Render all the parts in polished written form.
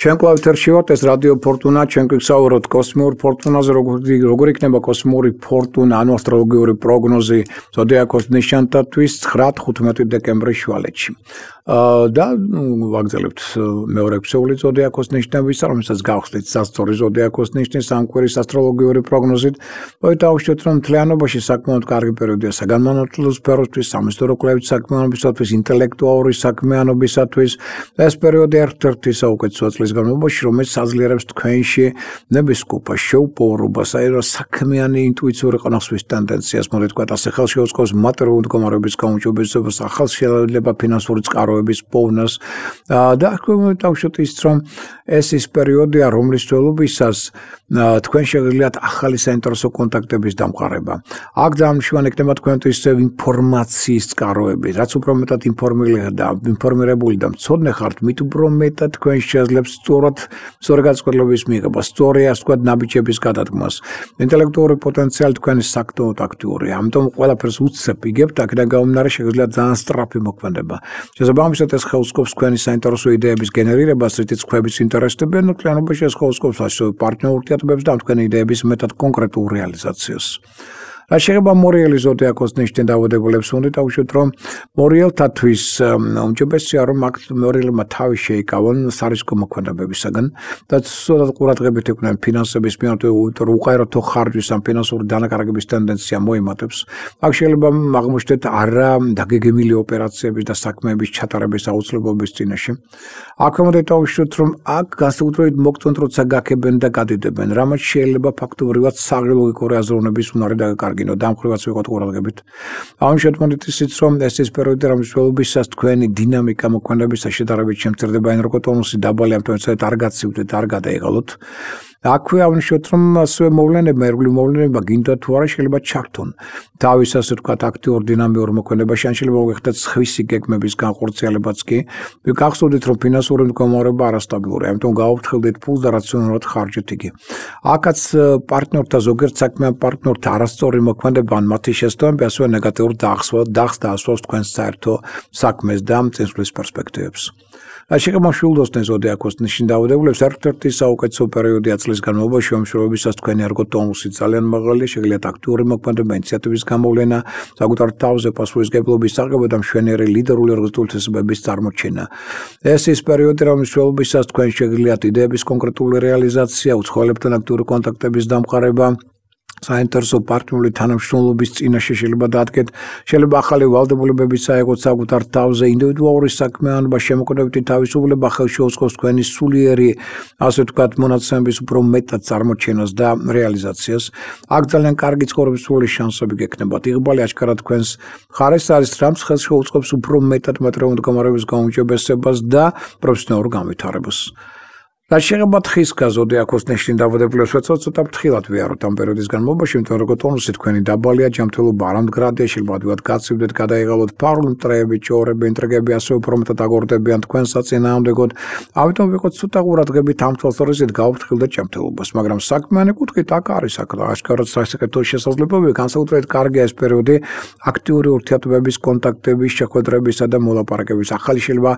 ჩვენ კლავ ეთერში ვართ, ეს რადიო ფორტუნა, ჩვენ გვიგზავნოთ კოსმიურ ფორტუნაზე, როგორ იქნება კოსმიური ფორტუნა, ანუ ასტროლოგიური პროგნოზი ზოდიაქოს ნიშანთათვის 9-15 დეკემბრის შუალედში. და ვაგრძელებთ მეორე ეპიზოდი ზოდიაქოს ნიშნების, რომელსაც გავხსნით სასწორი ზოდიაქოს ნიშნის სამკვირის ასტროლოგიური პროგნოზით. დავუშვათ, რომ მთლიანობაში საკმაოდ კარგი პერიოდია საგანმანათლებლო სფეროსთვის, სამეცნიერო კვლევით საქმიანობისათვის, ინტელექტუალური საქმიანობისათვის. ეს პერიოდი ერთ-ერთი საუკეთესოა წლის განმავლობაში, რომელიც აძლიერებს თქვენში ნებისმიერ შეუპოვრობას, საქმიანი ინტუიციური ყნოსვის ტენდენციას, მოდი ვთქვათ, ასე ხელშეუწყობს მატერიალური მდგომარეობის გაუმჯობესებას, ახალშეცვლილება ფინანსური წყაროების პოვნას და დავუშვათ ის, რომ ეს ის პერიოდია, რომლისველობისას თქვენ შეგიძლიათ ახალი საინტერესო კონტაქტების დამყარება. აქ ძალიან მნიშვნელოვანი იქნება თქვენთვის ინფორმაციის წყაროები, რაც უფრო მეტად ინფორმირებული და მცოდნე ხართ, მით უფრო მეტად თქვენ შეძლებს სწორი განწყობილების მიღება, სწორი ასე ვთქვათ, ნაბიჯების გადადგმას. ინტელექტუალური პოტენციალი თქვენი საკმაოდ აქტიურია, ამიტომ ყველაფერს უცებ იგებთ, აქედან გამომდინარე შეგიძლიათ ძალიან სწრაფი მოქმედება. შესაბამისად ეს ხელსკობს თქვენი საინტერესო იდეების გენერირებას, რითიც ქვებიც ინტერესდებიან, მთლიანობაში ეს ხელსკობს ასევე პარტნიორ ურთიერთობებს და თქვენი იდეების მეტად კონკრეტულ რეალიზაციას. რაც შეეხება მორიელის ზოდიაქოს ნიშნით დაავადებულებს, უნდა დავუშვათ, რომ მორიელთათვის უმჯობესია, რომ აქ მორიელებმა თავი შეიკავონ სარისკო მოქმედებებისაგან და ცუდად ყურადღებით იყვნენ ფინანსების მიმართ, უყარათო ხარჯვის ან ფინანსური დანაკარგების ტენდენცია მოიმატებს. აქ შეიძლება აღმოჩნდეთ არა დაგეგმილი ოპერაციების და საქმეების ჩატარების აუცილებლობის წინაშე. აქამდე დავუშვათ, რომ აქ განსაკუთრებით მოგწონთ, როცა გაქებენ და გადიდებენ, რამაც შეიძლება ფაქტობრივად საგრილოგიკური აზროვნების უნარი დაკარგოს. დამხრივაც ვიყოთ ყურადღებით. ამ შემთხვევით ისიც, რომ ეს ის პერიოდი, რომლისველობისას თქვენი დინამიკა მოქმედებისა შედარებით შემცირდება, ენერგოტონუსი დაბალი, ამიტომ არ გაცივდეთ, არ გადაიღალოთ. აქვე აღნიშნოთ, რომ ასევე მოვლენებმა, ერგული მოვლენებმა გინდათ თუ არა შეიძლება ჩართონ თავის ასე ვთქვათ აქტიურ დინამიურ მოქმედებაში, ან შეიძლება მოგეხდეთ სხვისი გეგმების განხორციელებაც კი. გახსოვდეთ, რომ ფინანსური მდგომარეობა არასტაბილურია, ამიტომ გაუფრთხილდეთ ფულს და რაციონალურად ხარჯეთ იგი. აქაც პარტნიორთა ზოგიერთ საქმიან პარტნიორთა არასწორი მოქმედება ან მათი შესწავლები ასევე ნეგატიურ დახს დაასვავს თქვენს საერთო საქმეს და წინსვლის პერსპექტივებს. შეეხება მშვილდოსნე ზოდიაქოს ნიშნის დაავადებულებს, ერთ-ერთი საუკეთესო პერიოდია წლის განმავლობაში, შემშრობისას თქვენი ერგოტონუსი ძალიან მაღალია, შეგიძლიათ აქტიური მოქმედება, ინიციატივის გამოვლენა, საკუთარ თავზე პასუხისმგებლობის აღება და მშვენიერი ლიდერული ორგანიზებული თვისებების წარმოჩენა. ეს ის პერიოდი, რომლის მსვლელობისას თქვენ შეგიძლიათ იდეების კონკრეტული რეალიზაცია, უცხოელებთან აქტიური კონტაქტების დამყარება, საინტერესო პარტნიორული თანამშრომლობის წინაშე შეიძლება დადგეთ, შეიძლება ახალი ვალდებულებების აიღოთ საკუთარ თავზე, ინდივიდუალური საქმიანობა, შემოქმედებითი თავისუფლება ხელშეუწყობს თქვენი სულიერი, ასე ვთქვათ, მონაცემების უფრო მეტად წარმოჩენას და რეალიზაციას. აქ ძალიან კარგი ცხოვრების სრული შანსები გექნებათ. იღბალი აჩქარად თქვენს მხარეს არის, რამაც ხელშეუწყობს უფრო მეტად მატერიალური მდგომარეობის გაუმჯობესებას და პროფესიონალურ განვითარებას. რაც შეეხება თხისკა ზოდიაქოს ნიშნის დაავადებულებს, ცოტა ფრთხილად ვიაროთ ამ პერიოდის განმავლობაში, იმიტომ რომ ერგოტონუსი თქვენი დაბალია, ჯანმრთელობა არამდგრადია, შეიძლება ადვილად გაცივდეთ, გადაიღალოთ ფარული მტრეები, ჭორები, ინტრიგები, ასევე უფრო მეტად აგორდებიან თქვენ საწინააღმდეგოდ. ამიტომ ვიყოთ ცოტა ყურადღებით ამ თვალსაზრისით გავუფრთხილდეთ ჯანმრთელობას, მაგრამ საქმიანი კუთხით აქ არის აშკარად სასაკეთო შესაძლებლობები, განსაკუთრებით კარგია ეს პერიოდი აქტიური ურთიერთობების, კონტაქტების, შეხვედრებისა და მოლაპარაკების, ახალი შეიძლება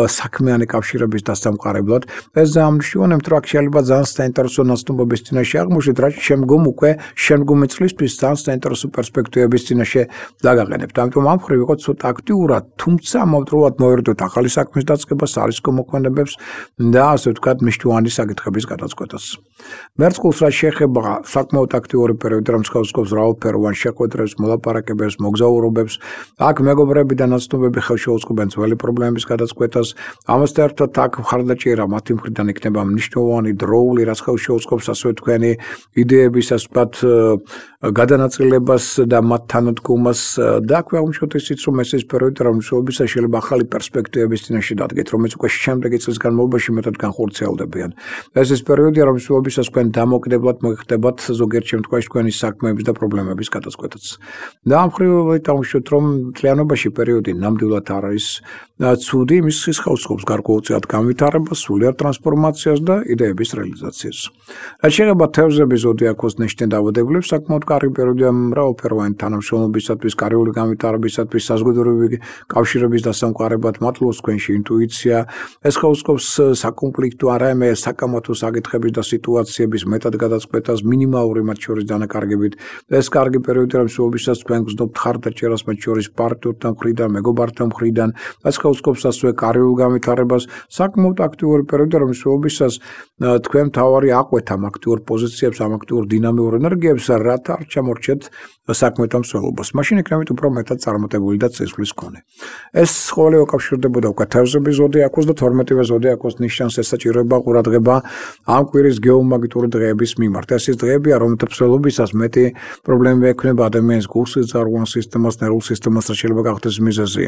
საქმიანი კავშირების დასამყარებლად. ეს ამშვენებთ, რომ შეიძლება ძალიან საინტერესო ნაცნობების წინაშე აღმოჩნდეთ, რაც შემდგომი წლისთვის ძალიან საინტერესო პერსპექტივების წინაშე დაგაყენებთ. ამიტომ ამ მხრივ ვიყოთ ცოტა აქტიურად, თუმცა მომდროულად მოვერდოთ ახალი საქმის დაწყებას, სარისკო მოქმედებებს და ასე ვთქვათ, მნიშვნელოვანი საკითხების გადაწყვეტას. მერწყულს რაც შეეხება საკმაოდ აქტიური პერიოდი, რომელიც ხელსკობს მრავალფეროვან შეხვედრებს, მოლაპარაკებებს, მოგზაურობებს, აქ მეგობრები და ნაცნობები ხელშეუწყობენ ძველი პრობლემების გადაწყვეტას. ამასთან ერთად აქ მხარდაჭერა მათი მხრიდან იქნება მნიშვნელოვანი დროული, რაც ხელშეუწყობს ასევე თქვენი იდეების ასე ვთქვათ გადანაწილებას და მათ თანადგომას და აქვე აღმოჩნდეთ ისიც, რომ ეს ის პერიოდი, რომლის შესაძლებლობისას შეიძლება ახალი პერსპექტივების წინაშე დადგეთ, რომელიც უკვე შემდეგი წლის განმავლობაში მეტად განხორციელდებიან. ეს ის პერიოდია, რომლის შესაძლებლობისას თქვენ დამოკიდებლად მოიხდებათ ზოგიერთ შემთხვევაში თქვენი საქმეების და პრობლემების გადაწყვეტაც. და ამ მხრივ დავუშვათ, რომ მთლიანობაში პერიოდი ნამდვილად არ არის ცუდი, იმის ხელსკობს გარკვეულწილად განვითარებას, სულიერ ტრანსფორმაციას და იდეების რეალიზაციას. რაც შეეხება თევზების ზოდიაქოს ნიშნის დაავადებულებს, საკმაოდ კარგი პერიოდია მრავალფეროვანი თანამშრომლობისათვის, კარიული განვითარებისათვის, საზოგადოებრივი კავშირების დასამყარებლად, მადლობს თქვენში ინტუიცია. ეს ხელსაყრელს საკონფლიქტო არამე საკამათო საკითხების და სიტუაციების მეტად გადაწყვეტას მინიმალური მათ შორის დანაკარგებით. ეს კარგი პერიოდია მსვლელობისას თქვენ გრძნობთ ხარდაჭერას მათ შორის პარტნიორთან მხრიდან, მეგობართან მხრიდან. ეს ხელსაყრელს ასევე კარიულ განვითარებას, საკმაოდ აქტიური პერიოდია მსვლელობისას თქვენ თავარი აყვეთ ამ აქტიურ პოზიციებს, ამ აქტიურ დინამიურ ენერგიებს, რათა არ ჩამორჩეთ საქმეთან მსვლელობას. მაშინ იქნებით უფრო მეტად წარმატებული და წესვლის მქონე. ეს ყოველი უკავშირდებოდა უკვე თევზების ზოდიაქოს და 12-ვე ზოდიაქოს ნიშანს ესაჭიროება ყურადღება ამ კვირის გეომაგნიტური დღეების მიმართ. ეს ის დღეებია, რომელთა მსვლელობისას მეტი პრობლემები ექნება ადამიანის გულსის ძარღვან სისტემას, ნერვულ სისტემას, რაც შეიძლება გახდეს მიზეზი.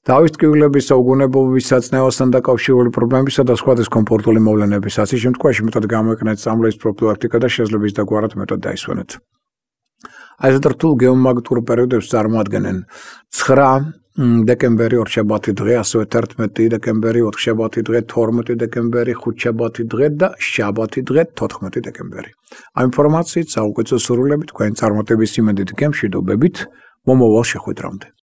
Თავის ტკივილების საუგუნებლობის საწნევასთან დაკავშირებული პრობლემებისა და სხვა დისკომფორტული მოვლენების ასი შემთხვევაში მეტად გამოიყენეთ სამლეის პროფილაქტიკა და შესაძლოა ის დაგვარად მეტად დაისვენეთ. Այս դրթულ գեոմագնიტურ პერიოდებს წარმოადგენენ 9 դեկემբերի օրշաբաթի დღე, ასევე 11 դեկემբերի, 4 շաբաթի დღე, 12 դեկემբերի, 5 շաբաթի დღე და շաբաթի დღე, 14 դեկემբერი. Ამ ინფორმაციით საუკეთესო სურვილებით თქვენ წარმატების იმედით გემშვიდობებით, მომავალ შეხვედრამდე.